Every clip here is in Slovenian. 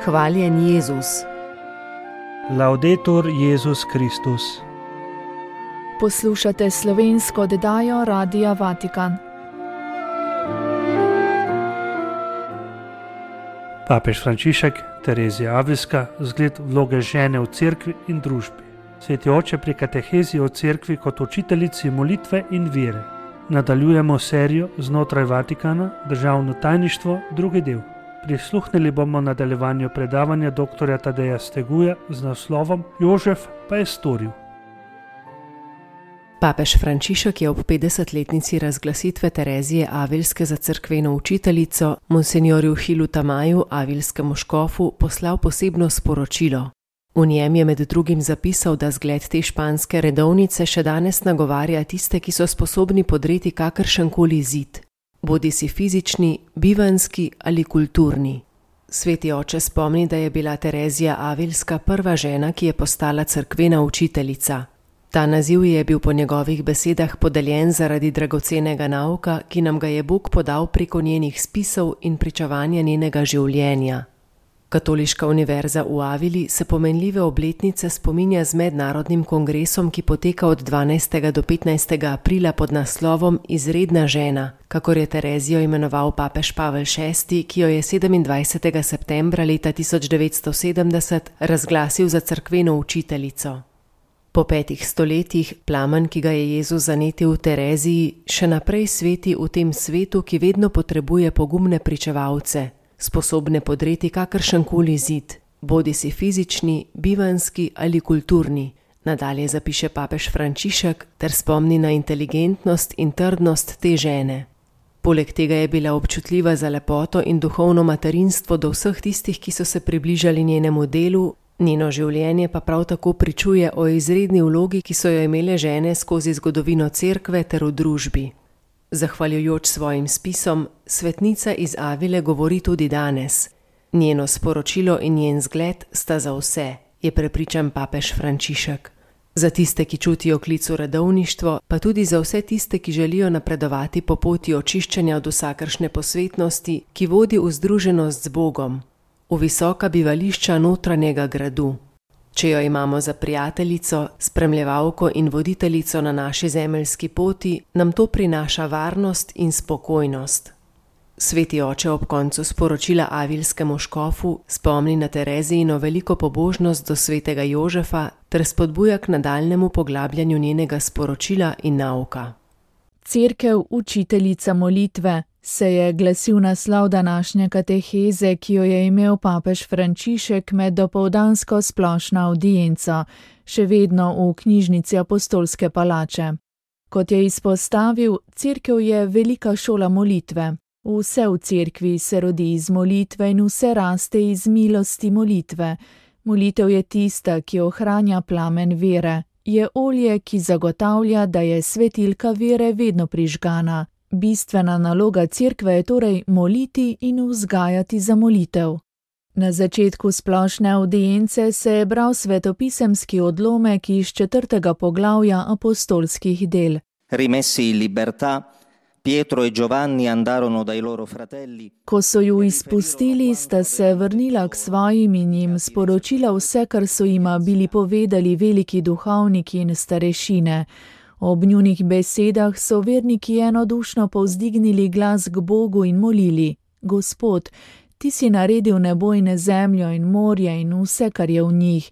Hvaljen Jezus. Laudetur Jezus Kristus. Poslušate slovensko oddajo Radia Vatikan. Papež Frančišek, Terezija Avilska, zgled vloge žene v cerkvi in družbi. Sveti oče pri katehezi o cerkvi kot učiteljici molitve in vere. Nadaljujemo serijo znotraj Vatikana, državno tajništvo, drugi del. Prisluhnili bomo nadaljevanju predavanja dr. Tadeja Steguja z naslovom Jožef pa je storil. Papež Frančišek je ob 50-letnici razglasitve Terezije Avilske za cerkveno učiteljico monsenjorju Hilu Tamaju, avilskemu škofu, poslal posebno sporočilo. V njem je med drugim zapisal, da zgled te španske redovnice še danes nagovarja tiste, ki so sposobni podreti kakršenkoli zid, bodisi fizični, bivanski ali kulturni. Sveti oče spomni, da je bila Terezija Avilska prva žena, ki je postala cerkvena učiteljica. Ta naziv je bil po njegovih besedah podeljen zaradi dragocenega nauka, ki nam ga je Bog podal preko njenih spisov in pričevanja njenega življenja. Katoliška univerza v Avili se pomenljive obletnice spominja z mednarodnim kongresom, ki poteka od 12. do 15. aprila pod naslovom Izredna žena, kakor je Terezijo imenoval papež Pavel VI, ki jo je 27. septembra leta 1970 razglasil za cerkveno učiteljico. Po 5 stoletjih plamen, ki ga je Jezus zanetil v Tereziji, še naprej sveti v tem svetu, ki vedno potrebuje pogumne pričevalce, sposobne podreti kakršenkoli zid, bodisi fizični, bivanski ali kulturni, nadalje zapiše papež Frančišek ter spomni na inteligentnost in trdnost te žene. Poleg tega je bila občutljiva za lepoto in duhovno materinstvo do vseh tistih, ki so se približali njenemu delu, njeno življenje pa prav tako pričuje o izredni vlogi, ki so jo imele žene skozi zgodovino cerkve ter v družbi. Zahvaljujoč svojim spisom, svetnica iz Avile govori tudi danes. Njeno sporočilo in njen zgled sta za vse, je prepričan papež Frančišek. Za tiste, ki čutijo klic v redovništvo, pa tudi za vse tiste, ki želijo napredovati po poti očiščenja od vsakršne posvetnosti, ki vodi v združenost z Bogom, v visoka bivališča notranjega gradu. Če jo imamo za prijateljico, spremljevalko in voditeljico na naši zemeljski poti, nam to prinaša varnost in spokojnost. Sveti oče ob koncu sporočila avilskemu škofu spomni na Terezijino veliko pobožnost do svetega Jožefa ter spodbuja k nadaljnemu poglabljanju njenega sporočila in nauka. Cerkev učiteljica molitve se je glasil naslov današnje kateheze, ki jo je imel papež Frančišek med dopoldansko splošno avdienco, še vedno v knjižnici Apostolske palače. Kot je izpostavil, cerkev je velika šola molitve. Vse v cerkvi se rodi iz molitve in vse raste iz milosti molitve. Molitev je tista, ki ohranja plamen vere. Je olje, ki zagotavlja, da je svetilka vere vedno prižgana. Bistvena naloga cerkve je torej moliti in vzgajati za molitev. Na začetku splošne avdience se je bral svetopisemski odlomek iz 4. poglavja apostolskih del. Rimessi in libertà, Pietro e Giovanni andarono dai loro fratelli. Ko so ju izpustili, sta se vrnila k svojim in jim sporočila vse, kar so jima bili povedali veliki duhovniki in starešine. Ob njunih besedah so verniki enodušno povzdignili glas k Bogu in molili: Gospod, ti si naredil nebo in zemljo in morje in vse, kar je v njih.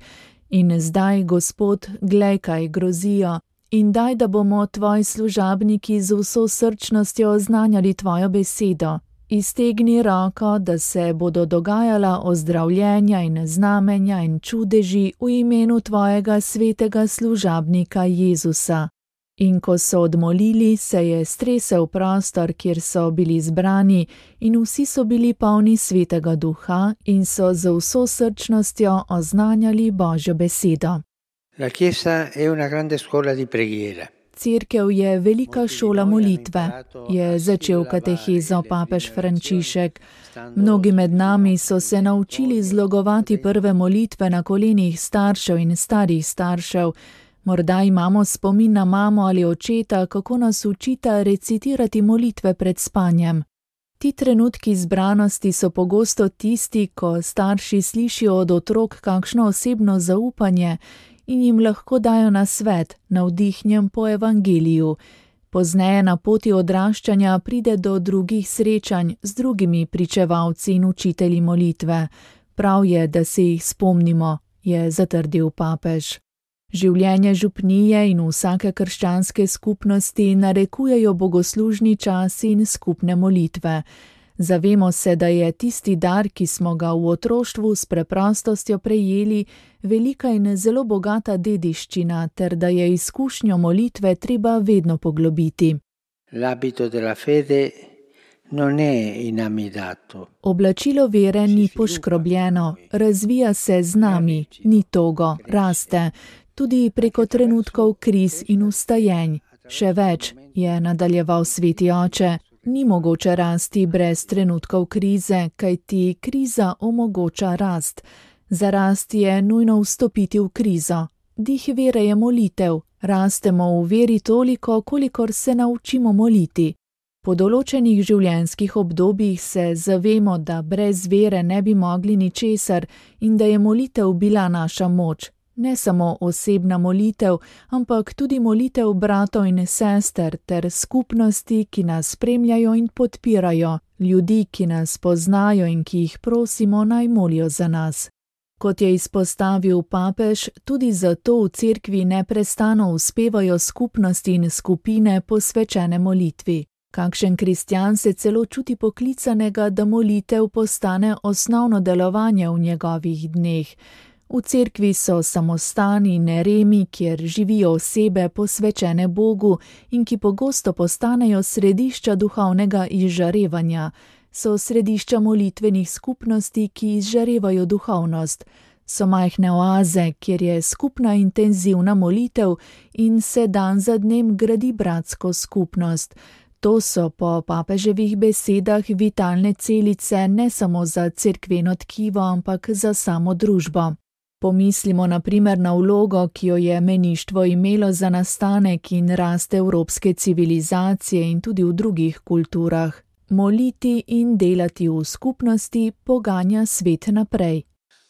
In zdaj, Gospod, glej, kaj grozijo. In daj, da bomo tvoji služabniki z vso srčnostjo oznanjali tvojo besedo. Iztegni roko, da se bodo dogajala ozdravljenja in znamenja in čudeži v imenu tvojega svetega služabnika Jezusa. In ko so odmolili, se je stresel prostor, kjer so bili zbrani, in vsi so bili polni svetega duha in so z vso srčnostjo oznanjali Božjo besedo. La Chiesa è una grande scuola di preghiera. Cerkev je velika šola molitve, je začel katehezo papež Frančišek. Mnogi med nami so se naučili zlogovati prve molitve na kolenih staršev in starih staršev. Morda imamo spomin na mamo ali očeta, kako nas učita recitirati molitve pred spanjem. Ti trenutki zbranosti so pogosto tisti, ko starši slišijo od otrok kakšno osebno zaupanje in jim lahko dajo nasvet, navdihnjen po evangeliju. Pozneje na poti odraščanja pride do drugih srečanj z drugimi pričevalci in učitelji molitve. Prav je, da se jih spomnimo, je zatrdil papež. Življenje župnije in vsake krščanske skupnosti narekujejo bogoslužni časi in skupne molitve. Zavemo se, da je tisti dar, ki smo ga v otroštvu s preprostostjo prejeli, velika in zelo bogata dediščina, ter da je izkušnjo molitve treba vedno poglobiti. L'abito della fede non è inamidato. Oblačilo vere ni poškrobljeno, razvija se z nami, ni togo, raste, tudi preko trenutkov kriz in vstajenj. Še več, je nadaljeval sveti oče, ni mogoče rasti brez trenutkov krize, kajti kriza omogoča rast. Za rast je nujno vstopiti v krizo. Dih vere je molitev, rastemo v veri toliko, kolikor se naučimo moliti. Po določenih življenjskih obdobjih se zavemo, da brez vere ne bi mogli ničesar in da je molitev bila naša moč. Ne samo osebna molitev, ampak tudi molitev bratov in sester ter skupnosti, ki nas spremljajo in podpirajo, ljudi, ki nas poznajo in ki jih prosimo, naj molijo za nas. Kot je izpostavil papež, tudi zato v cerkvi neprestano uspevajo skupnosti in skupine posvečene molitvi. Kakšen kristjan se celo čuti poklicanega, da molitev postane osnovno delovanje v njegovih dneh. V cerkvi so samostani in eremi, kjer živijo osebe posvečene Bogu in ki pogosto postanejo središča duhovnega izžarevanja. So središča molitvenih skupnosti, ki izžarevajo duhovnost. So majhne oaze, kjer je skupna intenzivna molitev in se dan za dnem gradi bratsko skupnost. To so po papeževih besedah vitalne celice ne samo za cerkveno tkivo, ampak za samo družbo. Pomislimo na primer na vlogo, ki jo je meništvo imelo za nastanek in rast evropske civilizacije in tudi v drugih kulturah. Moliti in delati v skupnosti poganja svet naprej.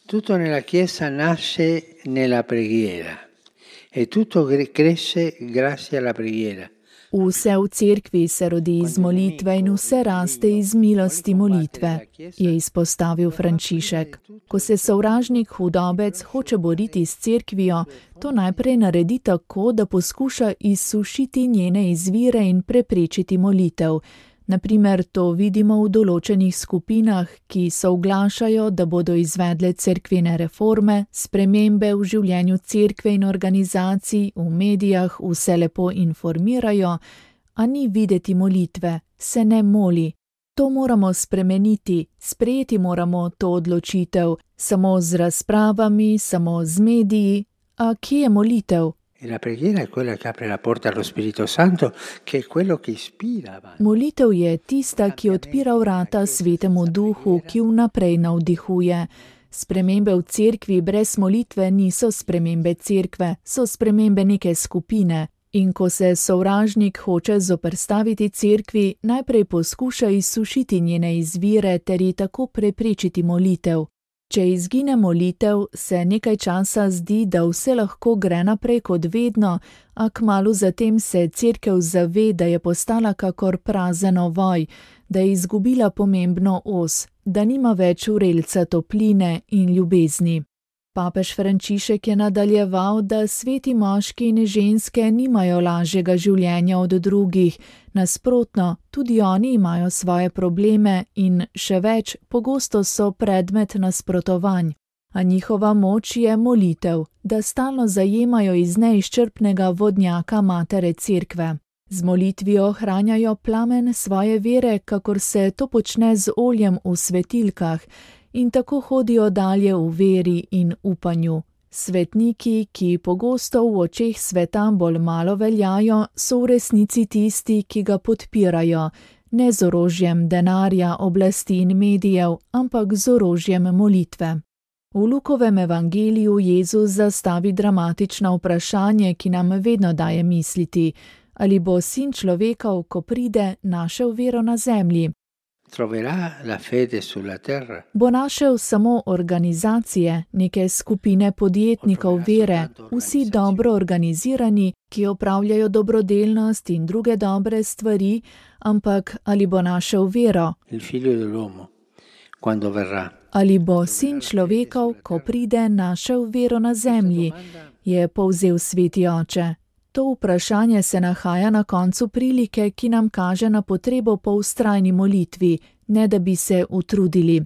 Tutto nella Chiesa nasce nella preghiera e tutto cresce grazie alla preghiera. Vse v cerkvi se rodi iz molitve in vse raste iz milosti molitve, je izpostavil Frančišek. Ko se sovražnik hudobec hoče boriti s cerkvijo, to najprej naredi tako, da poskuša izsušiti njene izvire in preprečiti molitev. Naprimer, to vidimo v določenih skupinah, ki soglašajo, da bodo izvedle cerkvene reforme, spremembe v življenju cerkve in organizacij, v medijah vse lepo informirajo, a ni videti molitve, se ne moli. To moramo spremeniti, sprejeti moramo to odločitev, samo z razpravami, samo z mediji, a kje je molitev? La preghiera è quella che apre la porta allo Spirito Santo, che è quello che ispira. Molitev je tista, ki odpira vrata Svetemu Duhu, ki vnaprej navdihuje. Spremembe v cerkvi brez molitve niso spremembe cerkve, so spremembe neke skupine. In ko se sovražnik hoče zoperstaviti cerkvi, najprej poskuša izsušiti njene izvire ter ji tako preprečiti molitev. Če izgine molitev, se nekaj časa zdi, da vse lahko gre naprej kot vedno, a kmalu zatem se cerkev zave, da je postala kakor prazen ovoj, da je izgubila pomembno os, da nima več vrelca topline in ljubezni. Papež Frančišek je nadaljeval, da sveti moški in ženske nimajo lažjega življenja od drugih, nasprotno, tudi oni imajo svoje probleme in še več, pogosto so predmet nasprotovanj. A njihova moč je molitev, da stalno zajemajo iz neizčrpnega vodnjaka matere cerkve. Z molitvijo ohranjajo plamen svoje vere, kakor se to počne z oljem v svetilkah, in tako hodijo dalje v veri in upanju. Svetniki, ki pogosto v očeh sveta bolj malo veljajo, so v resnici tisti, ki ga podpirajo, ne z orožjem denarja, oblasti in medijev, ampak z orožjem molitve. V Lukovem evangeliju Jezus zastavi dramatično vprašanje, ki nam vedno daje misliti, ali bo sin človekov, ko pride, našel vero na zemlji. troverà la fede sulla terra. Bo našel samo organizacije, neke skupine podjetnikov vere, vsi dobro organizirani, ki opravljajo dobrodelnost in druge dobre stvari, ampak ali bo našel vero? Il figlio dell'uomo, quando verrà. Ali bo sin človekov, ko pride, našel vero na zemlji, je povzel Sveti Oče. To vprašanje se nahaja na koncu prilike, ki nam kaže na potrebo po vztrajni molitvi, ne da bi se utrudili.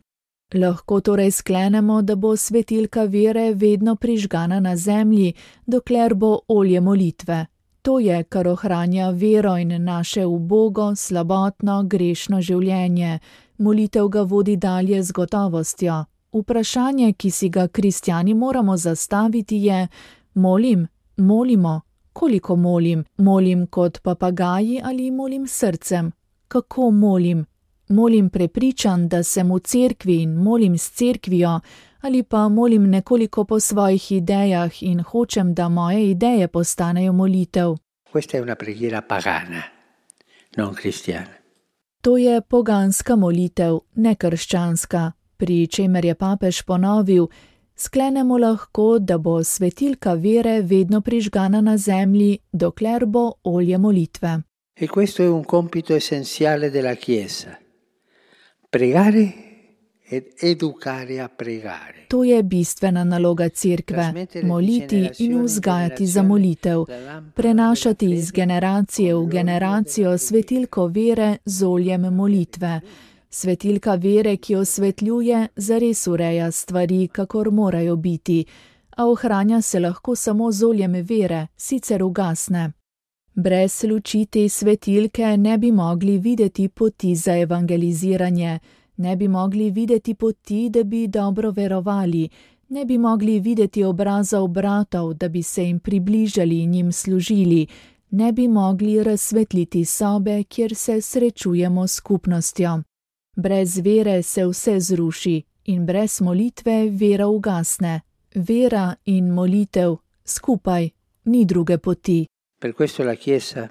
Lahko torej sklenemo, da bo svetilka vere vedno prižgana na zemlji, dokler bo olje molitve. To je, kar ohranja vero in naše ubogo, slabotno, grešno življenje. Molitev ga vodi dalje z gotovostjo. Vprašanje, ki si ga kristjani moramo zastaviti, je: molimo? Koliko molim? Molim kot papagaji ali molim srcem? Kako molim? Molim prepričan, da sem v cerkvi in molim s cerkvijo, ali pa molim nekoliko po svojih idejah in hočem, da moje ideje postanejo molitev? Questa è una preghiera pagana, non cristiana. To je poganska molitev, ne krščanska, pri čemer je papež ponovil: sklenemo lahko, da bo svetilka vere vedno prižgana na zemlji, dokler bo olje molitve. E questo è un compito essenziale della Chiesa. Pregare ed educare a pregare. To je bistvena naloga cerkve, moliti in vzgajati za molitev, prenašati iz generacije v generacijo svetilko vere z oljem molitve. Svetilka vere, ki osvetljuje, zares ureja stvari, kakor morajo biti, a ohranja se lahko samo z oljem vere, sicer ugasne. Brez luči te svetilke ne bi mogli videti poti za evangeliziranje, ne bi mogli videti poti, da bi dobro verovali, ne bi mogli videti obrazov bratov, da bi se jim približali in jim služili, ne bi mogli razsvetliti sobe, kjer se srečujemo s skupnostjo. Brez vere se vse zruši in brez molitve vera ugasne. Vera in molitev skupaj, ni druge poti. Per questo la Chiesa,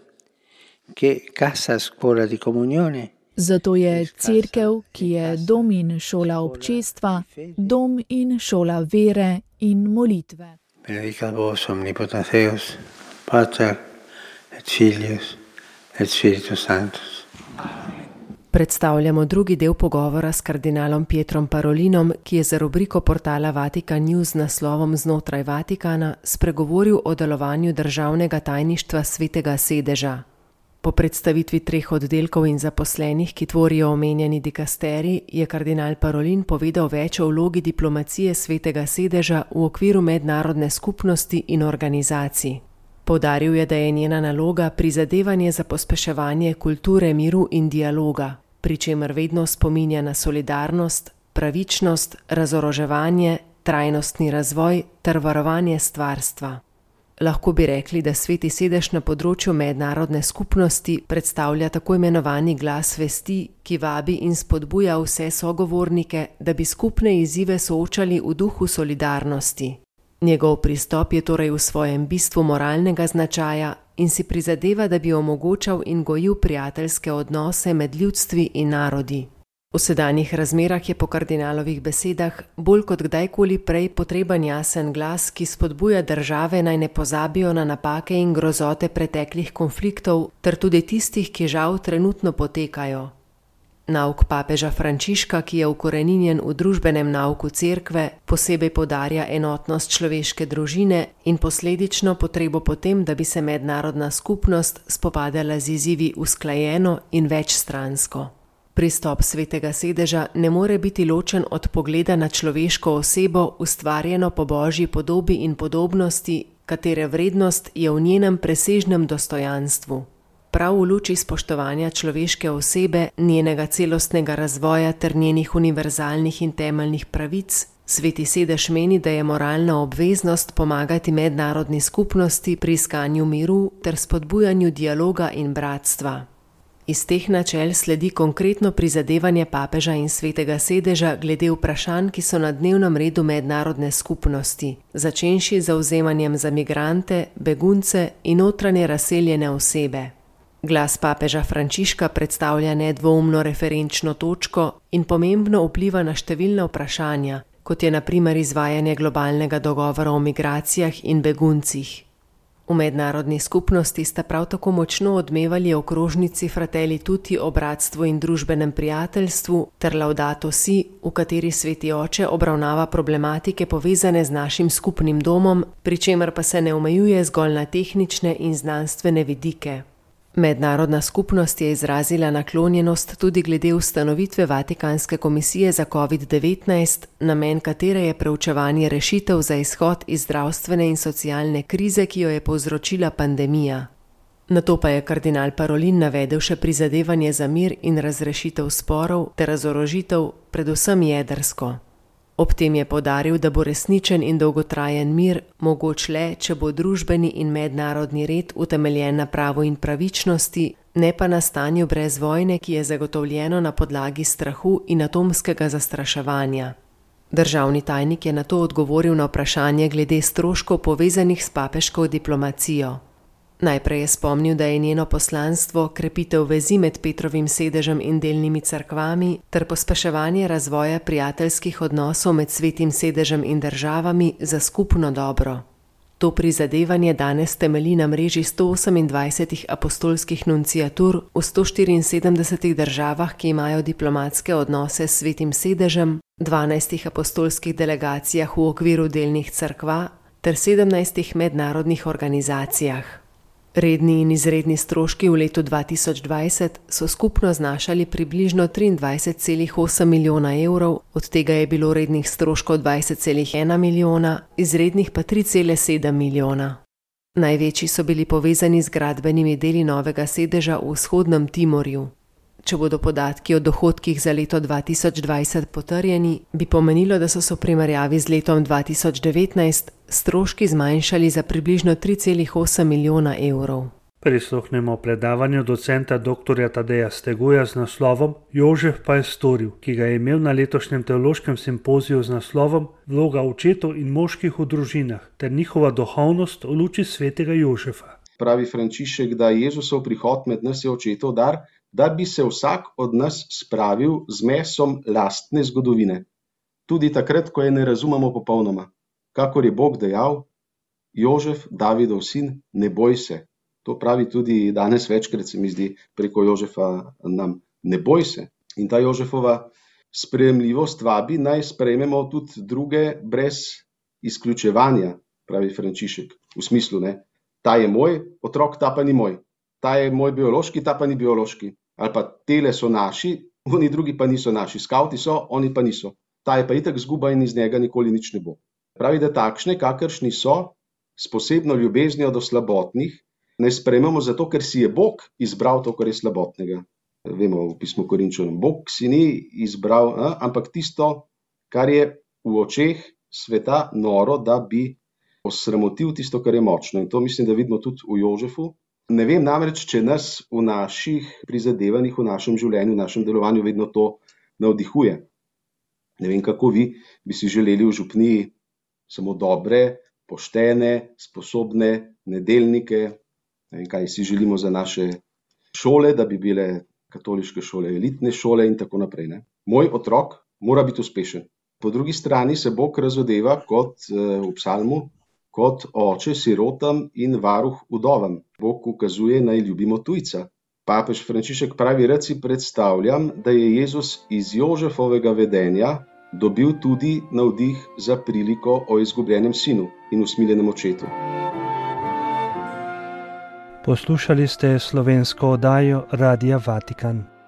che casa scuola di comunione, zato je cerkev, ki je dom in šola občestva, dom in šola vere in molitve. Benedicat vos omnipotens Deus, Pater et Filius et Spiritus Sanctus. Predstavljamo drugi del pogovora s kardinalom Pietrom Parolinom, ki je za rubriko portala Vatikan News z naslovom Znotraj Vatikana spregovoril o delovanju državnega tajništva Svetega sedeža. Po predstavitvi 3 oddelkov in zaposlenih, ki tvorijo omenjeni dikasterij, je kardinal Parolin povedal več o vlogi diplomacije Svetega sedeža v okviru mednarodne skupnosti in organizacij. Poudaril je, da je njena naloga prizadevanje za pospeševanje kulture miru in dialoga, pri čemer vedno spominja na solidarnost, pravičnost, razoroževanje, trajnostni razvoj ter varovanje stvarstva. Lahko bi rekli, da Sveti sedež na področju mednarodne skupnosti predstavlja tako imenovani glas vesti, ki vabi in spodbuja vse sogovornike, da bi skupne izzive soočali v duhu solidarnosti. Njegov pristop je torej v svojem bistvu moralnega značaja in si prizadeva, da bi omogočal in gojil prijateljske odnose med ljudstvi in narodi. V sedanjih razmerah je po kardinalovih besedah bolj kot kdajkoli prej potreben jasen glas, ki spodbuja države naj ne pozabijo na napake in grozote preteklih konfliktov ter tudi tistih, ki žal trenutno potekajo. Nauk papeža Frančiška, ki je ukoreninjen v družbenem nauku cerkve, posebej poudarja enotnost človeške družine in posledično potrebo potem, da bi se mednarodna skupnost spopadala z izzivi usklajeno in večstransko. Pristop Svetega sedeža ne more biti ločen od pogleda na človeško osebo, ustvarjeno po Božji podobi in podobnosti, katere vrednost je v njenem presežnem dostojanstvu. Prav v luči spoštovanja človeške osebe, njenega celostnega razvoja ter njenih univerzalnih in temeljnih pravic, Sveti sedež meni, da je moralna obveznost pomagati mednarodni skupnosti pri iskanju miru ter spodbujanju dialoga in bratstva. Iz teh načel sledi konkretno prizadevanje papeža in Svetega sedeža glede vprašanj, ki so na dnevnem redu mednarodne skupnosti, začenši z zavzemanjem za migrante, begunce in notranje razseljene osebe. Glas papeža Frančiška predstavlja nedvoumno referenčno točko in pomembno vpliva na številna vprašanja, kot je na primer izvajanje globalnega dogovora o migracijah in beguncih. V mednarodni skupnosti sta prav tako močno odmevali okrožnici Fratelli Tutti o bratstvu in družbenem prijateljstvu ter Laudato Si, v kateri Sveti Oče obravnava problematike povezane z našim skupnim domom, pri čemer pa se ne omejuje zgolj na tehnične in znanstvene vidike. Mednarodna skupnost je izrazila naklonjenost tudi glede ustanovitve Vatikanske komisije za COVID-19, namen katere je preučevanje rešitev za izhod iz zdravstvene in socialne krize, ki jo je povzročila pandemija. Nato pa je kardinal Parolin navedel še prizadevanje za mir in razrešitev sporov ter razorožitev, predvsem jedrsko. Ob tem je poudaril, da bo resničen in dolgotrajen mir mogoč le, če bo družbeni in mednarodni red utemeljen na pravu in pravičnosti, ne pa na stanju brez vojne, ki je zagotovljeno na podlagi strahu in atomskega zastraševanja. Državni tajnik je nato odgovoril na vprašanje glede stroškov povezanih s papeško diplomacijo. Najprej je spomnil, da je njeno poslanstvo krepitev vezi med Petrovim sedežem in delnimi cerkvami ter pospeševanje razvoja prijateljskih odnosov med Svetim sedežem in državami za skupno dobro. To prizadevanje danes temelji na mreži 128 apostolskih nunciatur v 174 državah, ki imajo diplomatske odnose s Svetim sedežem, 12 apostolskih delegacijah v okviru delnih cerkva ter 17 mednarodnih organizacijah. Redni in izredni stroški v letu 2020 so skupno znašali približno 23,8 milijona evrov, od tega je bilo rednih stroškov 20,1 milijona, izrednih pa 3,7 milijona. Največji so bili povezani z gradbenimi deli novega sedeža v vzhodnem Timorju. Če bodo podatki o dohodkih za leto 2020 potrjeni, bi pomenilo, da so se v primerjavi z letom 2019 stroški zmanjšali za približno 3,8 milijona evrov. Prisluhnemo predavanju docenta dr. Tadeja Steguja z naslovom Jožef pa je storil, ki ga je imel na letošnjem teološkem simpoziju z naslovom Vloga očetov in moških v družinah ter njihova duhovnost v luči svetega Jožefa. Pravi Frančišek, da Jezusov prihod med nas je očetov dar, da bi se vsak od nas spravil z mesom lastne zgodovine. Tudi takrat, ko je ne razumemo popolnoma. Kakor je Bog dejal, Jožef, Davidov sin, ne boj se. To pravi tudi danes večkrat, se mi zdi, preko Jožefa nam. Ne boj se. In ta Jožefova sprejemljivost vabi, naj sprejmemo tudi druge brez izključevanja, pravi Frančišek. V smislu, ne, ta je moj otrok, ta pa ni moj. Ta je moj biološki, ta pa ni biološki. Ali pa tele so naši, oni drugi pa niso naši. Skavti so, oni pa niso. Ta je pa itak zguba in iz njega nikoli nič ne bo. Pravi, da takšne, kakršni so, s posebno ljubeznijo do slabotnih, ne sprejmemo zato, ker si je Bog izbral to, kar je slabotnega. Vemo v pismu Korinčanom, Bog si ni izbral, ampak tisto, kar je v očeh sveta noro, da bi osramotil tisto, kar je močno. In to mislim, da vidimo tudi v Jožefu. Ne vem namreč, če nas v naših prizadevanjih, v našem življenju, v našem delovanju vedno to navdihuje. Ne vem, kako vi bi si želeli v župniji samo dobre, poštene, sposobne nedeljnike. Ne vem, kaj si želimo za naše šole, da bi bile katoliške šole, elitne šole in tako naprej. Ne? Moj otrok mora biti uspešen. Po drugi strani se Bog razodeva kot v psalmu, kot oče sirotam in varuh vdovam. Bog ukazuje, naj ljubimo tujca. Papež Frančišek pravi, rad si predstavljam, da je Jezus iz Jožefovega vedenja dobil tudi navdih za priliko o izgubljenem sinu in usmiljenem očetu. Poslušali ste slovensko oddajo Radia Vatikan.